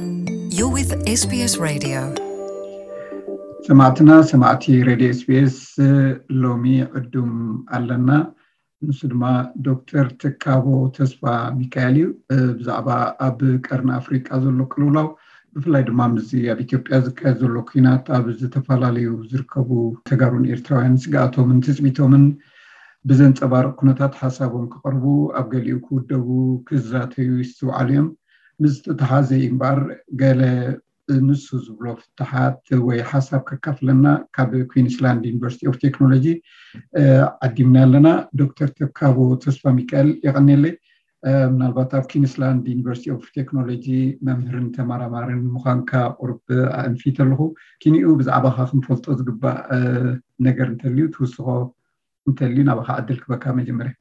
You're with SBS Radio. ሰማዕትና ሰማዕቲ ሬድዮ ኤስቢኤስ፣ ሎሚ ዕዱም ኣለና። ንሱ ድማ ዶክተር ትካቦ ተስፋ ሚካኤል እዩ። ብዛዕባ ኣብ ቀርኒ ኣፍሪቃ ዘሎ ቅልውላው፣ ብፍላይ ድማ ምስዚ ኣብ ኢትዮጵያ ዝካየድ ዘሎ ኩናት ኣብ ዝተፈላለዩ ዝርከቡ ተጋሩን ኤርትራውያን ስግኣቶምን ትጽቢቶምን ብዘንጸባርቕ ኩነታት ሓሳቦም ክቐርቡ፣ ኣብ ገሊኡ ክውደቡ ክዛተዩ ይስተውዓሉ እዮም። ምስ ተተሓዘ እምበኣር ገለ ንሱ ዝብሎ ፍትሓት ወይ ሓሳብ ከካፍለና ካብ ኩዊንስላንድ ዩኒቨርሲቲ ኦፍ ቴክኖሎጂ ዓዲምና ኣለና። ዶክተር ተካቦ ተስፋ ሚካኤል፣ የቐኔለይ። ምናልባት ኣብ ኩዊንስላንድ ዩኒቨርሲቲ ኦፍ ቴክኖሎጂ መምህርን ተመራማርን ምዃንካ ቁርብ ኣእንፊት ኣለኹ። ኪኒኡ ብዛዕባኻ ክንፈልጦ ዝግባእ ነገር እንተልዩ ትውስኾ እንተልዩ ናባኻ ዕድል ክበካ መጀመርያ።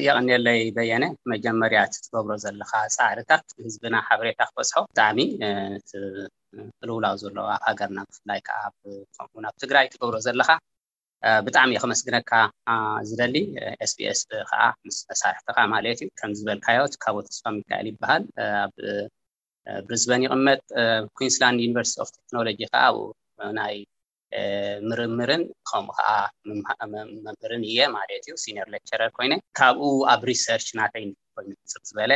የቐንየለይ በየነ። መጀመርያ እቲ ትገብሮ ዘለኻ ፃዕርታት ህዝብና ሓበሬታ ክበፅሖ ብጣዕሚ እቲ ቅልውላው ዘሎ ኣብ ሃገርና ብፍላይ ከዓ ከምኡውን ኣብ ትግራይ ትገብሮ ዘለኻ ብጣዕሚ እየ ከመስግነካ ዝደሊ። ኤስቢኤስ ከዓ ምስ መሳርሕትኻ ማለት እዩ። ከም ዝበልካዮ ትካቦ ተስፋ ሚካኤል ይበሃል። ኣብ ብሪዝበን ይቕመጥ። ኩዊንስላንድ ዩኒቨርሲቲ ኦፍ ቴክኖሎጂ ከዓ ኣብኡ ናይ ምርምርን ከምኡ ከዓ መምህርን እየ ማለት እዩ። ሲኒየር ሌክቸረር ኮይነ ካብኡ ኣብ ሪሰርች ናተይ ኮይኑ ፅብ ዝበለ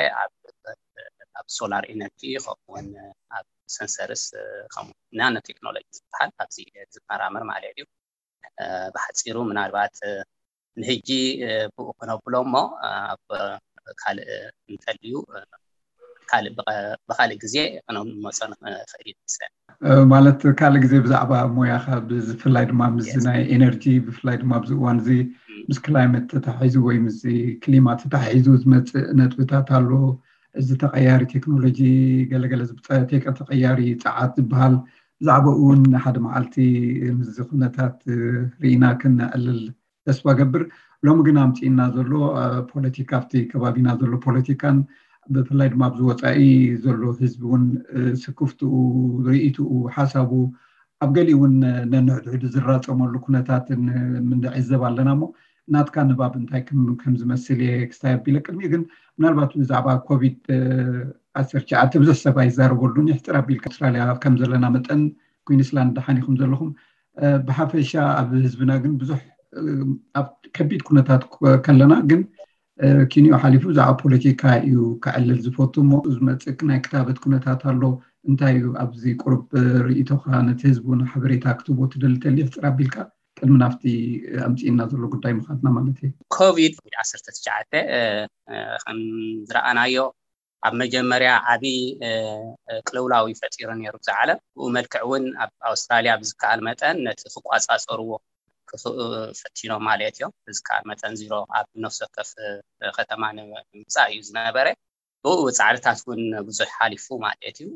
ኣብ ሶላር ኤነርጂ ከምኡውን ኣብ ሰንሰርስ ከምኡ ናኖ ቴክኖሎጂ ዝበሃል ኣብዚ ዝመራመር ማለት እዩ። ብሓፂሩ ምናልባት ንህጂ ብኡ ክነብሎ እሞ ኣብ ካልእ እንተልዩ ካልእ ብኻልእ ግዜ ክነመፆ ንኽእል ይመስለኒ። ማለት ካልእ ግዜ ብዛዕባ ሞያኻ ብፍላይ ድማ ምስዚ ናይ ኤነርጂ ብፍላይ ድማ ኣብዚ እዋን እዚ ምስ ክላይመት ተታሒዙ ወይ ምስዚ ክሊማ ተታሒዙ ዝመፅእ ነጥብታት ኣሎ። እዚ ተቐያሪ ቴክኖሎጂ ገለገለ ተቐያሪ ፀዓት ዝበሃል ብዛዕባኡ እውን ሓደ መዓልቲ ምስዚ ኩነታት ርኢና ክነዕልል ተስፋ ገብር። ሎሚ ግን ኣምፂእና ዘሎ ፖለቲካ ኣብቲ ከባቢና ዘሎ ፖለቲካን ብፍላይ ድማ ኣብዚ ወፃኢ ዘሎ ህዝቢ እውን ስክፍትኡ፣ ርእይትኡ፣ ሓሳቡ ኣብ ገሊኡ እውን ነንሕድሕዱ ዝራፀመሉ ኩነታትን ምንዕዘብ ኣለና እሞ ናትካ ንባብ እንታይ ከም ዝመስል እየ ክስታይ ኣቢለ ቅድሚኡ ግን ምናልባት ብዛዕባ ኮቪድ ዓሰርተ ትሽዓተ ብዙሕ ሰብ ኣይዛረበሉን። ይሕፅር ኣቢልካ ኣውስትራልያ ከም ዘለና መጠን ኩዊንስላንድ ደሓን ኢኹም ዘለኹም። ብሓፈሻ ኣብ ህዝብና ግን ብዙሕ ኣብ ከቢድ ኩነታት ከለና ግን ኪንዮ ሓሊፉ ብዛዕባ ፖለቲካ እዩ ክዕልል ዝፈቱ እሞ ዝመፅእ ናይ ክታበት ኩነታት ኣሎ። እንታይ እዩ ኣብዚ ቁሩብ ርእይቶኻ ነቲ ህዝቢ እውን ሓበሬታ ክትቦ ትደሊ ተልዩ ሕፅር ኣቢልካ ቅድሚ ናብቲ ኣምፅእና ዘሎ ጉዳይ ምኻድና ማለት እዩ። ኮቪድ ዓሰርተ ትሽዓተ ከም ዝረኣናዮ ኣብ መጀመርያ ዓብዪ ቅልውላው እዩ ፈጢሩ ነይሩ እዚ ዓለም። ብኡ መልክዕ እውን ኣብ ኣውስትራልያ ብዝከኣል መጠን ነቲ ክቋፃፀርዎ ፈቲኖም ማለት እዮም። ብዝከኣል መጠን ዚሮ ኣብ ነፍሲ ወከፍ ከተማ ንምምፃእ እዩ ዝነበረ። ብኡ ፃዕርታት እውን ብዙሕ ሓሊፉ ማለት እዩ።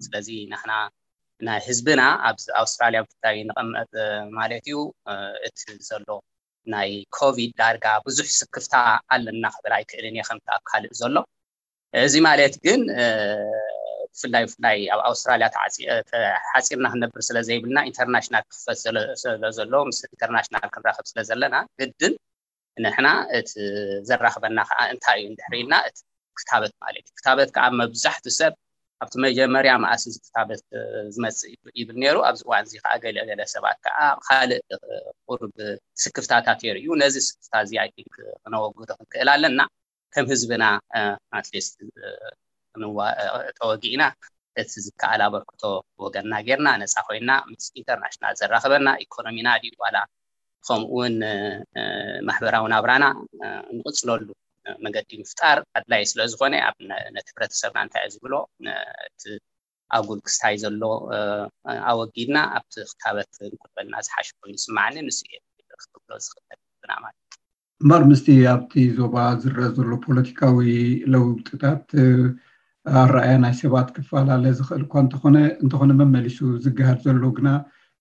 ስለዚ ንሕና ናይ ህዝብና ኣብ ኣውስትራልያ ብፍላይ ንቐመጥ ማለት እዩ እቲ ዘሎ ናይ ኮቪድ ዳርጋ ብዙሕ ስክፍታ ኣለና ክብል ኣይክእልን እየ ከምቲ ኣብ ካልእ ዘሎ። እዚ ማለት ግን ብፍላይ ብፍላይ ኣብ ኣውስትራልያ ተሓፂርና ክንነብር ስለ ዘይብልና ኢንተርናሽናል ክኽፈት ስለ ዘሎ ምስ ኢንተርናሽናል ክንራኸብ ስለ ዘለና ግድን ንሕና እቲ ዘራኽበና ከዓ እንታይ እዩ እንድሕር ኢልና እቲ ክታበት ማለት እዩ። ክታበት ከዓ መብዛሕቱ ሰብ ኣብቲ መጀመርያ መኣስ እዚ ክታበት ዝመፅእ ይብል ነይሩ። ኣብዚ እዋን እዚ ከዓ ገለ ገለ ሰባት ከዓ ካልእ ቁሩብ ስክፍታታት የርእዩ። ነዚ ስክፍታ እዚ ኣይ ቲንክ ክነወግዶ ክንክእል ኣለና። ከም ህዝብና ኣትሊስት ተወጊእና እቲ ዝከኣል ኣበርክቶ ወገንና ጌርና ነፃ ኮይና ምስ ኢንተርናሽናል ዘራኽበና ኢኮኖሚና ድዩ ዋላ ከምኡ እውን ማሕበራዊ ናብራና ንቕፅለሉ መገዲ ምፍጣር ኣድላይ ስለ ዝኾነ ኣብ ነቲ ሕብረተሰብና እንታይ ዝብሎ እቲ ኣጉል ክስታይ ዘሎ ኣወጊድና ኣብቲ ክታበት ንቁልበልና ዝሓሸ ኮይኑ ዝስማዓኒ ንሱ እየ ክትብሎ ዝኽእል ብና ማለት እዩ። እምበር ምስቲ ኣብቲ ዞባ ዝረአ ዘሎ ፖለቲካዊ ለውጥታት ኣረኣያ ናይ ሰባት ክፈላለ ዝኽእል እኳ እንተኾነ እንተኾነ መመሊሱ ዝገሃድ ዘሎ ግና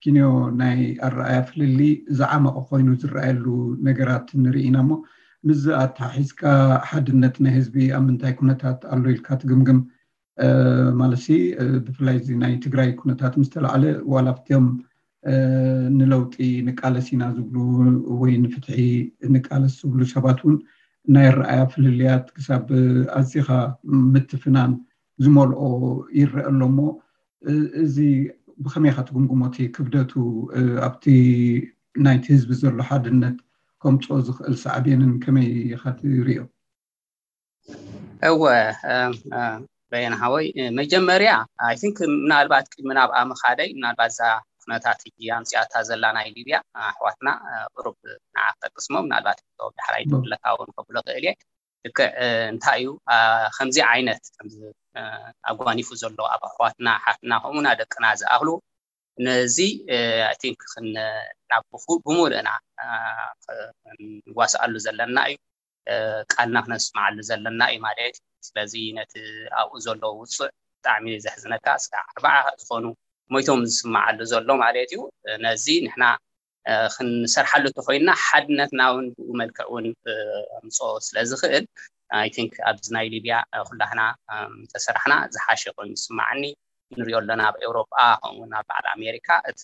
ኪንዮ ናይ ኣረኣያ ፍልሊ ዝዓመቐ ኮይኑ ዝረኣየሉ ነገራት ንርኢ ኢና እሞ ምስዚ ኣተሓሒዝካ ሓድነት ናይ ህዝቢ ኣብ ምንታይ ኩነታት ኣሎ ኢልካ ትግምግም? ማለት ብፍላይ እዚ ናይ ትግራይ ኩነታት ምስ ተላዓለ ዋላ ኣብቲኦም ንለውጢ ንቃለስ ኢና ዝብሉ ወይ ንፍትሒ ንቃለስ ዝብሉ ሰባት እውን ናይ ኣረኣያ ፍልልያት ክሳብ ኣዚኻ ምትፍናን ዝመልኦ ይረአ ኣሎ እሞ፣ እ- እዚ ብኸመይ ኢኻ ትግምግሞ? እቲ ክብደቱ፣ እ፣ ኣብቲ ናይቲ ህዝቢ ዘሎ ሓድነት ከምፅኦ ዝኽእል ሳዕቤንን ከመይ ኢኻ ትሪኦ? እወ፣ እ፣ እ፣ በየነ ሓወይ፣ እ፣ መጀመርያ፣ I think፣ ምናልባት ቅድሚ ናብኣ ምኻደይ፣ ምናልባት እዛ ኩነታት ሕጂ ኣምፅኣታ ዘላ ናይ ሊብያ፣ እ፣ ኣሕዋትና፣ እ፣ ቁሩብ ንዓ ክጠቅስሞ፣ ምናልባት ዳሕራይ ትብለካ እውን ከብሎ ክእል እየ። ልክዕ፣ እ፣ እንታይ እዩ፣ እ፣ ከምዚ ዓይነት፣ ከምዚ፣ እ፣ ኣጓኒፉ ዘሎ ኣብ ኣሕዋትና፣ ኣሓትና፣ ከምኡና ደቅና ዝኣኽሉ፣ ነዚ፣ እ፣ I think ክን-፣ ናብ ብኹ-፣ ብምሉእና፣ እ፣ ክንዋስኣሉ ዘለና እዩ። እ፣ ቃልና ክነስምዓሉ ዘለና እዩ ማለት እዩ። ስለዚ ነቲ ኣብኡ ዘሎ ውፅዕ ብጣዕሚ ዘሕዝነካ፣ እስካ ኣርባዓ ዝኾኑ ሞይቶም ዝስምዓሉ ዘሎ ማለት እዩ። እ፣ ነዚ ንሕና፣ እ፣ ክንሰርሓሉ እንተኮይንና ሓድነትና እውን ብኡ መልክዕ እውን፣ እ፣ ኣምፅኦ ስለ ዝኽእል፣ I think ኣብዚ ናይ ሊብያ፣ እ፣ ኩላህና፣ እ፣ እንተሰራሕና ዝሓሸ ኮይኑ ይስማዓኒ። ንሪኦ ኣለና ኣብ ኤውሮጳ፣ ከምኡ እውን ኣብ በዓል ኣሜሪካ እቲ፣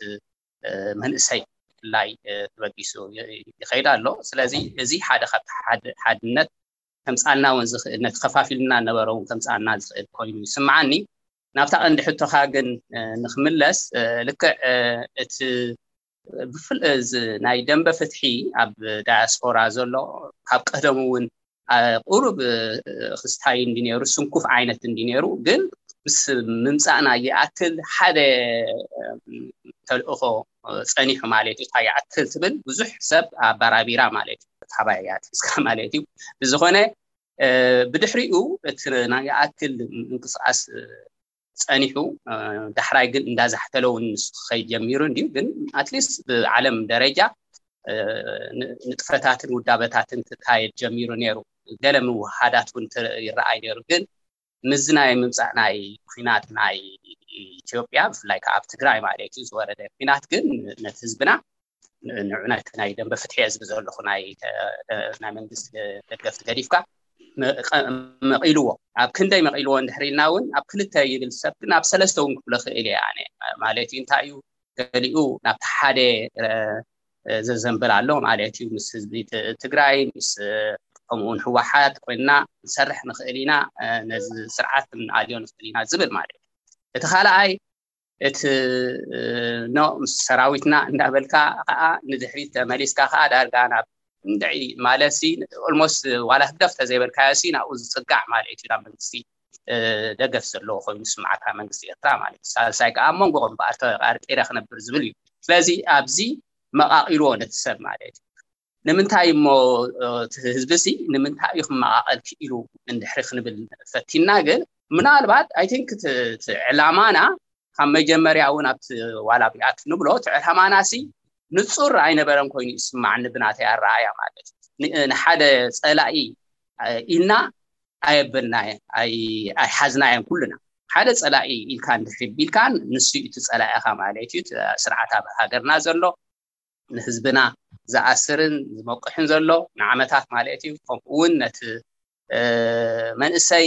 እ፣ መንእሰይ ብፍላይ፣ እ፣ ተበጊሱ ይ-፣ ይኸይድ ኣሎ። ስለዚ እዚ ሓደ ካብቲ ሓድ-፣ ሓድነት ከምፃልና እውን ዝኽእል፣ ነቲ ከፋፊልና ነበረ እውን ከምፃልና ዝኽእል ኮይኑ ይስምዓኒ። ናብታ ቀንዲ ሕቶኻ ግን፣ እ፣ ንክምለስ፣ እ፣ ልክዕ፣ እ፣ እቲ ብፍል-፣ እዚ ናይ ደንበ ፍትሒ ኣብ ዳያስፖራ ዘሎ ካብ ቀደሙ እውን፣ እ፣ ቁሩብ፣ እ፣ ክስታይ እንዲ ነይሩ፣ ስንኩፍ ዓይነት እንዲ ነይሩ፣ ግን ምስ ምምፃእና ይኣክል ሓደ፣ እ፣ ተልእኾ፣ እ፣ ፀኒሑ ማለት እዩ። እንታይ ይኣክል ትብል ብዙሕ ሰብ ኣባራቢራ ማለት እዩ። ካባይ እያ ትሕዝካ ማለት እዩ። ብዝኾነ፣ እ፣ ብድሕሪኡ እቲ ናይ ይኣክል ምንቅስቃስ፣ እ፣ ፀኒሑ፣ እ፣ ዳሕራይ ግን እንዳዛሕተለ እውን ንሱ ክኸይድ ጀሚሩ እንዲዩ። ግን ኣትሊስት ብዓለም ደረጃ፣ እ፣ ን-፣ ንጥፈታትን ውዳበታትን ክካየድ ጀሚሩ ነይሩ። ገለ ምውሃዳት እውን ት-፣ ይረኣይ ነይሩ። ግን ምስዚ ናይ ምምፃእ ናይ ኩናት ናይ ኢትዮጵያ፣ ብፍላይ ከዓ ኣብ ትግራይ ማለት እዩ ዝወረደ ኩናት ግን ነቲ ህዝብና ን-፣ ንዑ ነቲ ናይ ደንበ ፍትሒ እየ ዝብል ዘለኹ ናይ፣ እ፣ ናይ መንግስቲ ደገፍቲ ገዲፍካ መ-፣ ቀ-፣ መቒልዎ። ኣብ ክንደይ መቒልዎ እንድሕር ኢልና እውን ኣብ ክልተ ይብል ሰብ ግን ኣብ ሰለስተ እውን ክብሎ ክእል እየ ኣነ። ማለት እዩ እንታይ እዩ ገሊኡ ናብቲ ሓደ፣ እ፣ እ፣ ዘዘንብል ኣሎ ማለት እዩ። ምስ ህዝቢ ት-፣ ትግራይ፣ ምስ፣ እ፣ ከምኡ እውን ህወሓት ኮይንና ክንሰርሕ ንኽእል ኢና፣ እ፣ ነዚ ስርዓት ክንኣልዮ ንኽእል ኢና ዝብል ማለት እዩ። እቲ ካልኣይ እቲ፣ እ፣ ኖ ምስ ሰራዊትና እንዳበልካ ከዓ ንድሕሪት ተመሊስካ ከዓ ዳርጋ ናብ እንድዒ ማለት ሲ ኦልሞስት ዋላ ህግደፍ ተዘይበልካዮ ሲ ናብኡ ዝፅጋዕ ማለት እዩ ናብ መንግስቲ፣ እ፣ ደገፍ ዘለዎ ኮይኑ ዝስምዓካ መንግስቲ ኤርትራ ማለት እዩ። ሳልሳይ ከዓ ኣብ መንጎ እምበኣር ተቃርቂረ ክነብር ዝብል እዩ። ስለዚ ኣብዚ መቃቂልዎ ነቲ ሰብ ማለት እዩ። ንምንታይ እሞ፣ እ፣ እቲ ህዝቢ ሲ ንምንታይ እዩ ክመቃቀል ክኢሉ እንድሕሪ ክንብል ፈቲና፣ ግን ምናልባት I think እቲ፣ እቲ ዕላማና ካብ መጀመርያ እውን ኣብቲ ዋላ ኣብኣ ክንብሎ እቲ ዕላማና ሲ ንጹር ኣይነበረን ኮይኑ ይስማዓኒ ብናተይ ኣረኣእያ ማለት እዩ። ን-፣ ንሓደ ጸላኢ፣ እ፣ ኢልና ኣየበልናዮ፣ ኣይ-፣ ኣይሓዝናዮን ኩልና። ሓደ ጸላኢ ኢልካ እንድሕሪ ቢልካ ንሱ እዩ እቲ ጸላኢኻ ማለት እዩ። እቲ ስርዓት ኣብ ሃገርና ዘሎ ንህዝብና ዝኣስርን ዝመቁሕን ዘሎ ንዓመታት ማለት እዩ። ከምኡ እውን ነቲ፣ እ፣ መንእሰይ፣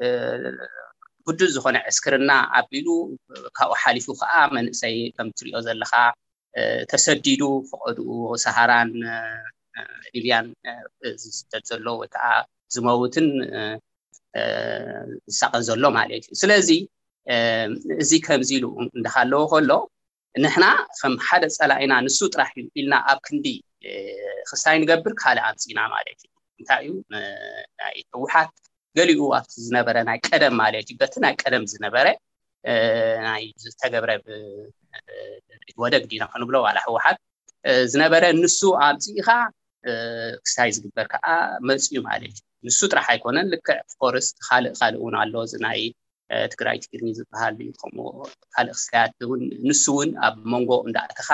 እ፣ ግዱድ ዝኾነ ዕስክርና ኣቢሉ ካብኡ ሓሊፉ ከዓ መንእሰይ ከም ትሪኦ ዘለኻ፣ እ፣ ተሰዲዱ ፈቐድኡ ሰሃራን፣ እ፣ ሊብያን፣ እ፣ ዝስደድ ዘሎ ወይ ከዓ ዝመውትን፣ እ፣ እ፣ ዝሳቐን ዘሎ ማለት እዩ። ስለዚ፣ እ፣ እዚ ከምዚ ኢሉ እንዳሃለወ ከሎ ንሕና ከም ሓደ ጸላኢና ንሱ ጥራሕ እዩ ኢልና ኣብ ክንዲ፣ እ፣ ክስታይ ንገብር ካልእ ኣምጺና ማለት እዩ። እንታይ እዩ፣ እ፣ ናይ ህወሓት ገሊኡ ኣብቲ ዝነበረ ናይ ቀደም ማለት እዩ፣ በቲ ናይ ቀደም ዝነበረ፣ እ፣ ናይ ዝተገብረ ብ-፣ እ፣ ወደግ ዲና ክንብሎ ዋላ ህወሓት፣ እ፣ ዝነበረ ንሱ ኣምጺእኻ፣ እ፣ ክስታይ ዝግበር ከዓ መጽዩ ማለት እዩ። ንሱ ጥራሕ ኣይኮነን፣ ልክዕ ኦፍኮርስ ካልእ ካልእ እውን ኣሎ፣ እዚ ናይ፣ እ፣ ትግራይ ትግርኝ ዝበሃል እዩ። ከምኡ ካልእ ክስታያት እውን ንሱ እውን ኣብ መንጎ እንዳእተኻ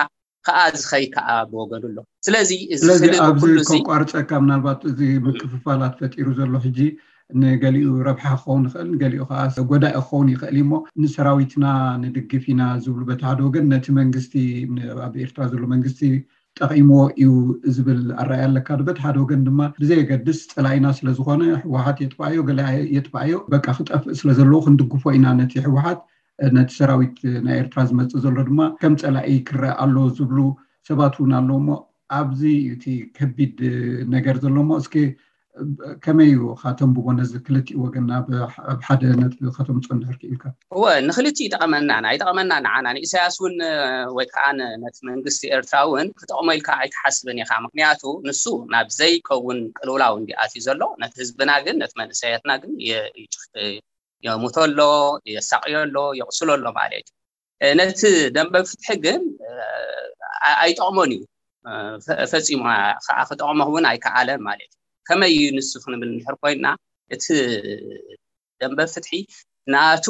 ከዓ ዝኸይ ከዓ ብወገኑ ኣሎ። ስለዚ እዚ ስለዚ ክልል ኣብዚ ኩሉ እዚ ከቋርፀካ፣ ምናልባት እዚ ምክፍፋላት ፈጢሩ ዘሎ ሕጂ ንገሊኡ ረብሓ ክኸውን ይኽእል፣ ንገሊኡ ከዓ ጎዳኢ ክኸውን ይኽእል እዩ። እሞ ንሰራዊትና ንድግፍ ኢና ዝብሉ በቲ ሓደ ወገን፣ ነቲ መንግስቲ፣ ን-፣ ኣብ ኤርትራ ዘሎ መንግስቲ ጠቒምዎ እዩ ዝብል ኣረኣእያ ኣለካ ዶ? በቲ ሓደ ወገን ድማ ብዘየገድስ ጸላኢና ስለ ዝኾነ ህወሓት የጥፍኣዮ ገለ ኣየ-፣ የጥፍኣዮ በቃ ክጠፍእ ስለ ዘለዎ ክንድግፎ ኢና ነቲ ህወሓት፣ ነቲ ሰራዊት ናይ ኤርትራ ዝመጽእ ዘሎ ድማ ከም ጸላኢ ክረአ ኣለዎ ዝብሉ ሰባት እውን ኣለዉ። እሞ ኣብዚ እዩ እቲ ከቢድ ነገር ዘሎ። እሞ እስኪ ከመይ እዩ ከተንብቦ ነዚ ክልቲኡ ወገን ናብ ሓደ ነጥቢ ከተምፅኦ እንድሕር ክኢልካ? እወ፣ ንክልቲኡ ይጠቐመና። ኣይጠቐመና ንዓና ንኢሳያስ እውን ወይ ከዓ ነቲ መንግስቲ ኤርትራ እውን ክጠቕሞ ኢልካ ኣይትሓስብን ኢኻ። ምክንያቱ ንሱ ናብ ዘይከውን ቅልውላው እንዲ ኣትዩ ዘሎ፣ ነቲ ህዝብና ግን ነቲ መንእሰያትና ግን የሙቶ ኣሎ፣ የሳቅዮ ኣሎ፣ የቕስሎ ኣሎ ማለት እዩ። ነቲ ደንበ ፍትሒ ግን ኣይጠቕሞን እዩ። ፈፂሙ ከዓ ክጠቕሞ እውን ኣይከኣለን ማለት እዩ። ከመይ እዩ ንሱ ክንብል እንድሕር ኮይና፣ እቲ ደንበ ፍትሒ ናቱ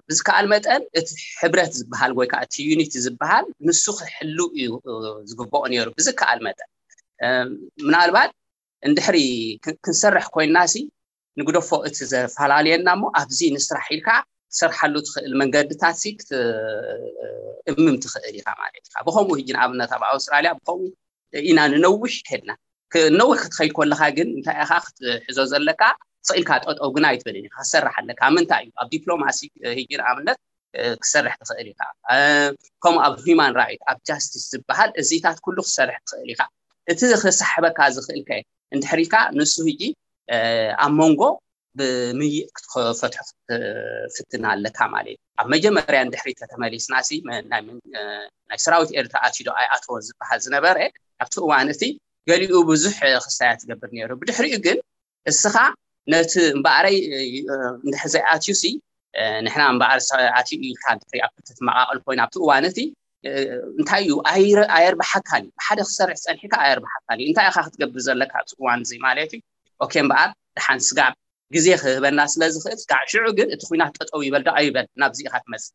ብዝከኣል መጠን እቲ ሕብረት ዝበሃል ወይ ከዓ እቲ ዩኒቲ ዝበሃል ንሱ ክሕሉ እዩ ዝግብኦ ነይሩ ብዝከኣል መጠን። ምናልባት እንድሕሪ ክንሰርሕ ኮይና ሲ ንግደፎ እቲ ዘፈላለየና እሞ ኣብዚ ንስራሕ ኢልካ ትሰርሓሉ ትኽእል መንገድታት ሲ ክትእምም ትኽእል ኢኻ ማለት ኢኻ። ብኸምኡ ሕጂ ንኣብነት ኣብ ኣውስትራልያ ብኸምኡ ኢና ንነዊሕ ከድና። ነዊሕ ክትኸይድ ከለኻ ግን እንታይ ኢኻ ክትሕዞ ዘለካ? ስቕ ኢልካ ጠጠው ግን ኣይትበልን ኢኻ፣ ክትሰርሕ ኣለካ። ኣብ ምንታይ እዩ? ኣብ ዲፕሎማሲ ሕጂ ንኣብነት ክሰርሕ ትኽእል ኢኻ። ከምኡ ኣብ ሂማን ራይት፣ ኣብ ጃስቲስ ዝበሃል እዚታት ኩሉ ክትሰርሕ ትኽእል ኢኻ። እቲ ክሳሕበካ ዝኽእል ከ እንድሕር ኢልካ ንሱ ሕጂ ኣብ መንጎ ብምይእ ክትፈትሖ ክትፍትን ኣለካ ማለት እዩ። ኣብ መጀመርያ እንድሕሪ ተተመሊስና ሲ ናይ ሰራዊት ኤርትራ ኣትዩ ዶ ኣይኣተወን ዝበሃል ዝነበረ ኣብቲ እዋን እቲ ገሊኡ ብዙሕ ክሳያ ትገብር ነይሩ። ብድሕሪኡ ግን እስኻ ነቲ እምበኣረይ እንድሕር ዘይኣትዩ ሲ ንሕና እምበኣር ኣትዩ ኢልካ እንድሕሪ ኣብ ክልተ ትመቃቀል ኮይና ኣብቲ እዋን እቲ እንታይ እዩ ኣየርብሓካን እዩ። ብሓደ ክሰርሕ ፀኒሕካ ኣየርብሓካን እዩ። እንታይ ኢኻ ክትገብር ዘለካ ኣብዚ እዋን እዚ ማለት እዩ። ኦኬ እምበኣር ደሓን ስጋዕ ግዜ ክህበና ስለ ዝኽእል ስጋዕ ሽዑ ግን እቲ ኩናት ጠጠው ይበል ዶ ኣይበል ናብዚ ኢኻ ትመፅእ።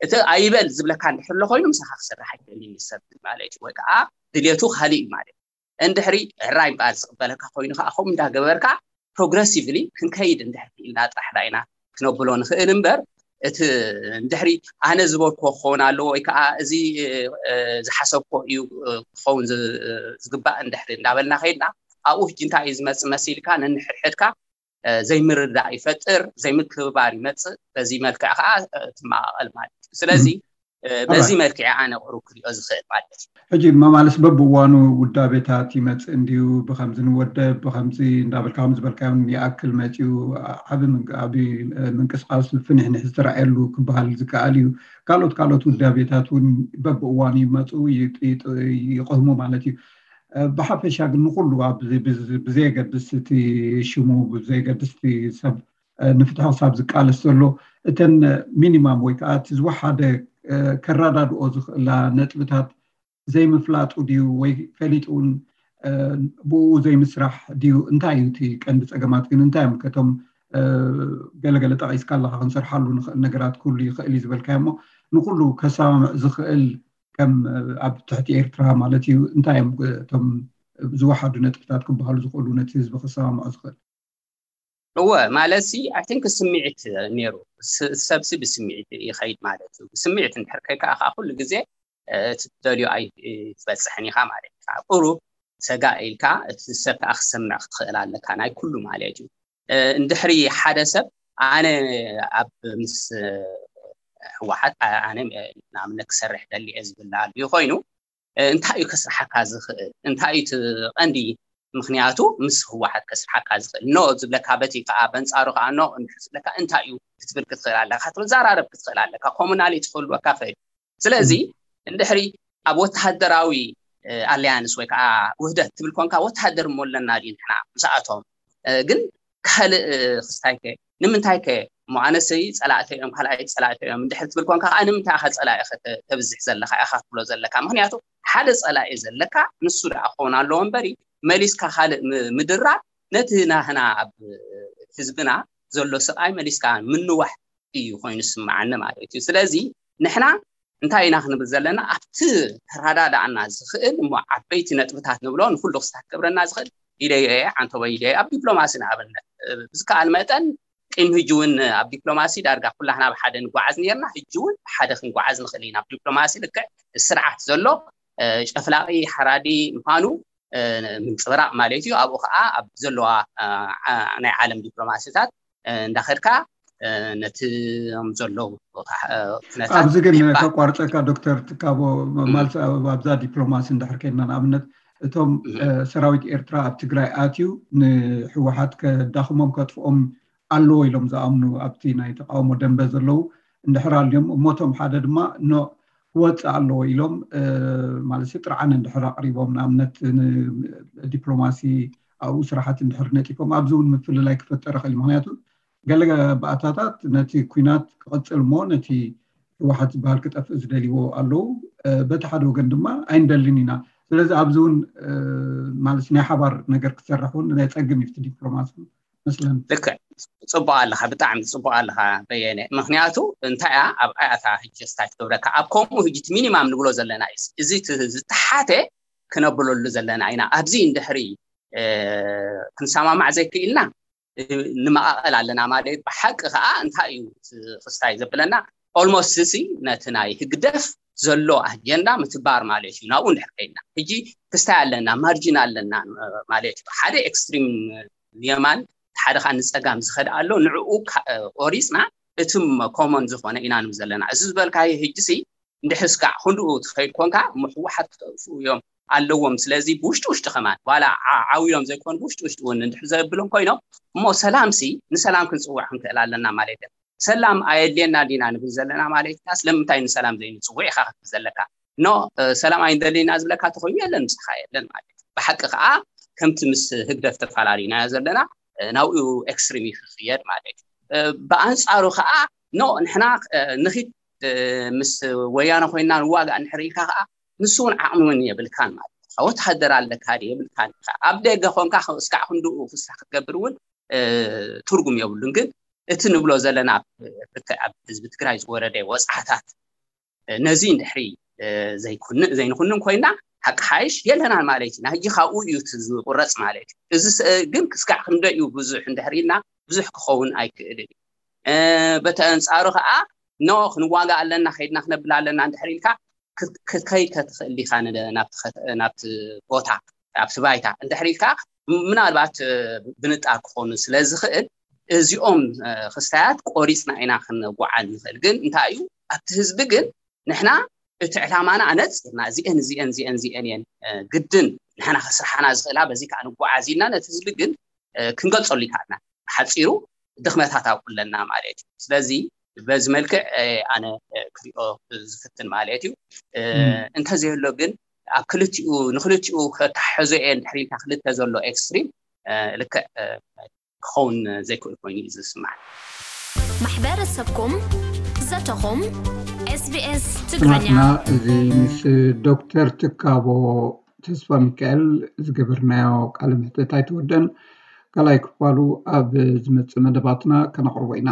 እቲ ኣይበል ዝብለካ እንድሕር ኣሎ ኮይኑ ምሳኻ ክሰርሕ ኣይክእልን እዩ ሰብ ማለት እዩ። ወይ ከዓ ድሌቱ ካልእ እዩ ማለት እዩ። እንድሕሪ ሕራይ እምበኣር ዝቕበለካ ኮይኑ ከዓ ከምኡ እንዳገበርካ ፕሮግረሲቭሊ ክንከይድ እንድሕር ክኢልና ጥራሕ ዳ ኢና ክነብሎ ንኽእል እምበር እቲ እንድሕሪ ኣነ ዝበልክዎ ክኸውን ኣለዎ ወይ ከዓ እዚ ዝሓሰብክዎ እዩ ክኸውን ዝግባእ እንድሕሪ እንዳበልና ከይድና ኣብኡ ሕጂ እንታይ እዩ ዝመፅእ መሲልካ ነንሕድሕድካ ዘይምርዳእ ይፈጥር፣ ዘይምክብባር ይመፅእ። በዚ መልክዕ ከዓ ትመቃቀል ማለት እዩ። ስለዚ በዚ መልክዕ ኣነ ቁሩብ ክሪኦ ዝኽእል ማለት እዩ። ሕጂ መማልስ በብእዋኑ ውዳቤታት ይመፅእ እንድዩ፣ ብከምዚ ንወደብ ብከምዚ እንዳበልካ ከም ዝበልካዮ ይኣክል መፅዩ ዓቢ ምንቅስቃስ ፍንሕንሕ ዝተረኣየሉ ክበሃል ዝከኣል እዩ። ካልኦት ካልኦት ውዳቤታት እውን በብእዋኑ ይመፁ ይቅህሙ ማለት እዩ። ብሓፈሻ ግን ንኩሉ ብዘየገድስ እቲ ሽሙ ብዘየገድስ እቲ ሰብ ንፍትሒ ክሳብ ዝቃለስ ዘሎ እተን ሚኒማም ወይ ከዓ እቲ ዝወሓደ ከረዳድኦ ዝኽእላ ነጥብታት ዘይምፍላጡ ድዩ ወይ ፈሊጡ እውን ብኡ ዘይምስራሕ ድዩ? እንታይ እዩ እቲ ቀንዲ ፀገማት ግን እንታይ እዮም? ከቶም ገለገለ ጠቒስካ ኣለካ ክንሰርሓሉ ንኽእል ነገራት ኩሉ ይኽእል እዩ ዝበልካዮ እሞ ንኩሉ ከሰማምዕ ዝኽእል ከም ኣብ ትሕቲ ኤርትራ ማለት እዩ እንታይ እዮም እቶም ዝወሓዱ ነጥብታት ክበሃሉ ዝኽእሉ ነቲ ህዝቢ ከሰማምዖ ዝኽእል? እወ ማለት ሲ ኣይ ቲንክ ስምዒት ነይሩ። ሰብሲ ብስምዒት ይኸይድ ማለት እዩ። ብስምዒት እንድሕር ከይከኣ ከዓ ኩሉ ግዜ እቲ ትደልዮ ኣይትበፅሕን ኢኻ ማለት እዩ። ቁሩብ ሰጋእ ኢልካ እቲ ሰብ ከዓ ክሰምዕ ክትኽእል ኣለካ ናይ ኩሉ ማለት እዩ። እንድሕሪ ሓደ ሰብ ኣነ ኣብ ምስ ህወሓት ኣነ ንኣብነት ክሰርሕ ደሊ እየ ዝብል ኣልዩ ኮይኑ እንታይ እዩ ከስርሓካ ዝኽእል? እንታይ እዩ እቲ ቀንዲ ምኽንያቱ ምስ ህወሓት ከስርሓካ ዝኽእል? ኖ ዝብለካ በቲ ከዓ በንፃሩ ከዓ ኖ እንድሕር ዝብለካ እንታይ እዩ ክትብል ክትኽእል ኣለካ፣ ክትዘራረብ ክትኽእል ኣለካ። ኮሙናሊ ትኽህልወካ ይኽእል። ስለዚ እንድሕሪ ኣብ ወተሃደራዊ ኣሊያንስ ወይ ከዓ ውህደት ትብል ኮንካ ወተሃደር እሞ ኣለና ድዩ ንሕና ምስኣቶም ግን ካልእ ክስታይከ ንምንታይ ከ እሞ ኣነሰይ ፀላእተ እዮም ካልኣይ ፀላእተ እዮም እንድሕር ትብል ኮንካ ከዓ ንምንታይ ኢኻ ፀላኢ ተብዝሕ ዘለካ ኢኻ ትብሎ ዘለካ ምክንያቱ ሓደ ፀላኢ ዘለካ ንሱ ደኣ ክኸውን ኣለዎ እምበሪ መሊስካ ካልእ ምድራብ ነቲ ናህና ኣብ ህዝብና ዘሎ ስቃይ መሊስካ ምንዋሕ እዩ ኮይኑ ዝስምዓኒ ማለት እዩ ስለዚ ንሕና እንታይ ኢና ክንብል ዘለና ኣብቲ ተረዳዳእና ዝኽእል እሞ ዓበይቲ ነጥብታት ንብሎ ንኩሉ ክስታት ክገብረና ዝኽእል ኢለየ ዓንተቦ ኢለየ ኣብ ዲፕሎማሲ ንኣብነት ብዝከኣል መጠን ቅድሚ ሕጂ እውን ኣብ ዲፕሎማሲ ዳርጋ ኩላህና ብሓደ ንጓዓዝ ነርና ሕጂ እውን ብሓደ ክንጓዓዝ ንኽእል ኢና ኣብ ዲፕሎማሲ ልክዕ ስርዓት ዘሎ ጨፍላቂ ሓራዲ ምዃኑ ምንፅብራቅ ማለት እዩ ኣብኡ ከዓ ኣብ ዘለዋ ናይ ዓለም ዲፕሎማሲታት እንዳኸድካ ነቲ ዘለዉ ኩነታት ኣብዚ ግን ከቋርፀካ ዶክተር ትካቦ ማልስ ኣብዛ ዲፕሎማሲ እንድሕር ከድና ንኣብነት እቶም ሰራዊት ኤርትራ ኣብ ትግራይ ኣትዩ ንህወሓት ከዳኽሞም ከጥፍኦም ኣለዎ ኢሎም ዝኣምኑ ኣብቲ ናይ ተቃውሞ ደንበ ዘለዉ እንድሕር ኣልዮም፣ እሞቶም ሓደ ድማ ኖ ክወፅእ ኣለዎ ኢሎም ማለት ጥርዓን እንድሕር ኣቅሪቦም፣ ንኣብነት ዲፕሎማሲ ኣብኡ ስራሓት እንድሕር ነጢፎም፣ ኣብዚ እውን ምፍልላይ ክፈጠር ይኽእል እዩ። ምክንያቱ ገለ ባእታታት ነቲ ኩናት ክቐፅል እሞ ነቲ ህወሓት ዝበሃል ክጠፍእ ዝደልይዎ ኣለዉ። በቲ ሓደ ወገን ድማ ኣይንደልን ኢና። ስለዚ ኣብዚ እውን ማለት ናይ ሓባር ነገር ክሰርሕ እውን ናይ ፀግም እዩ ዲፕሎማሲ መስለን። ልክዕ፣ ፅቡቅ ኣለካ፣ ብጣዕሚ ፅቡቅ ኣለካ በየነ። ምክንያቱ እንታይ እያ ኣብ ኣያታ ህጂ ስታይ ክገብረካ ኣብ ከምኡ ህጂ ሚኒማም ንብሎ ዘለና እዩ። እዚ ዝተሓተ ክነብለሉ ዘለና ኢና። ኣብዚ እንድሕሪ ክንሰማማዕ ዘይክኢልና ንመቃቀል ኣለና ማለት። ብሓቂ ከዓ እንታይ እዩ ክስታይ ዘብለና? ኦልሞስት እዚ ነቲ ናይ ህግደፍ ዘሎ ኣጀንዳ ምትግባር ማለት እዩ። ናብኡ እንድሕር ከይድና ሕጂ ክስታይ ኣለና፣ ማርጂን ኣለና ማለት እዩ። ሓደ ኤክስትሪም የማን ሓደ ከዓ ንፀጋም ዝኸድ ኣሎ። ንዕኡ ቆሪፅና እቲ ኮመን ዝኾነ ኢና ንብ ዘለና። እዚ ዝበልካዮ ህጂ ሲ እንድሕር ስጋዕ ክንድኡ ትኸይድ ኮንካ እሞ ህወሓት ክጠፍኡ እዮም ኣለዎም። ስለዚ ብውሽጢ ውሽጢ ከማን ዋላ ዓው ኢሎም ዘይኮኑ ብውሽጢ ውሽጢ እውን እንድሕር ዘብሎም ኮይኖም እሞ ሰላም ሲ ንሰላም ክንፅውዕ ክንክእል ኣለና ማለት እዩ። ሰላም ኣየድልየና ዲና ንብል ዘለና ማለት ኢና? ስለምንታይ ንሰላም ዘይንፅውዕ ኢካ ክትብል ዘለካ? ኖ ሰላም ኣይንደልይና ዝብለካ ተኮይኑ የለን ምሳካ የለን ማለት እዩ። ብሓቂ ከዓ ከምቲ ምስ ህግደፍ ተፈላለዩናዮ ዘለና ናብኡ ኤክስትሪም ክክየድ ማለት እዩ። ብኣንፃሩ ከዓ ኖ ንሕና ንኺድ ምስ ወያነ ኮይና ንዋጋእ እንድሕር ኢልካ ከዓ ንሱ እውን ዓቕሚ እውን የብልካን ማለት እዩ። ወተሃደር ኣለካ ድዩ የብልካን ኢኻ። ኣብ ደገ ኮንካ እስካዕ ክንድኡ ክሳ ክትገብር እውን ትርጉም የብሉን። ግን እቲ ንብሎ ዘለና ልክዕ ኣብ ህዝቢ ትግራይ ዝወረደ ወፅዓታት ነዚ እንድሕሪ ዘይንኩንን ኮይና ሓቂ ሓይሽ የለናን ማለት እዩ። ሕጂ ካብኡ እዩ ዝቁረፅ ማለት እዩ። እዚ ግን ክስካዕ ክንደይ እዩ ብዙሕ እንድሕር ኢልና ብዙሕ ክኸውን ኣይክእልን እዩ። በቲ ኣንፃሩ ከዓ ኖ ክንዋጋ ኣለና ከይድና ክነብል ኣለና እንድሕር ኢልካ ክትከይ ከትኽእል ዲካ ናብቲ ቦታ ኣብቲ ባይታ እንድሕር ኢልካ ምናልባት ብንጣር ክኾኑ ስለ ዝኽእል እዚኦም ክስታያት ቆሪፅና ኢና ክንጓዓዝ ንኽእል። ግን እንታይ እዩ ኣብቲ ህዝቢ ግን ንሕና እቲ ዕላማና ኣነፂርና እዚአን እዚአን እዚአን እዚአን እየን ግድን ንሕና ክስርሓና ዝኽእላ በዚ ከዓ ንጓዓዝ ኢልና ነቲ ህዝቢ ግን ክንገልፀሉ ይከኣልና። ሓፂሩ ድኽመታት ኣብኡ ኣለና ማለት እዩ። ስለዚ በዚ መልክዕ ኣነ ክሪኦ ዝፍትን ማለት እዩ። እንተዘየሎ ግን ኣብ ክልቲኡ ንክልቲኡ ከተሓሕዞ እየ እንድሕር ኢልካ ክልተ ዘሎ ኤክስትሪም ልክዕ ክኸውን ዘይክእል ኮይኑ እዩ ዝስማዕ። ማሕበረሰብኩም ዘተኹም ኤስቢኤስ ትግርኛ ስማዕትና። እዚ ምስ ዶክተር ትካቦ ተስፋ ሚካኤል ዝገበርናዮ ቃለ ምሕተት ኣይተወደን። ካልኣይ ክፋሉ ኣብ ዝመፅእ መደባትና ከነቕርቦ ኢና።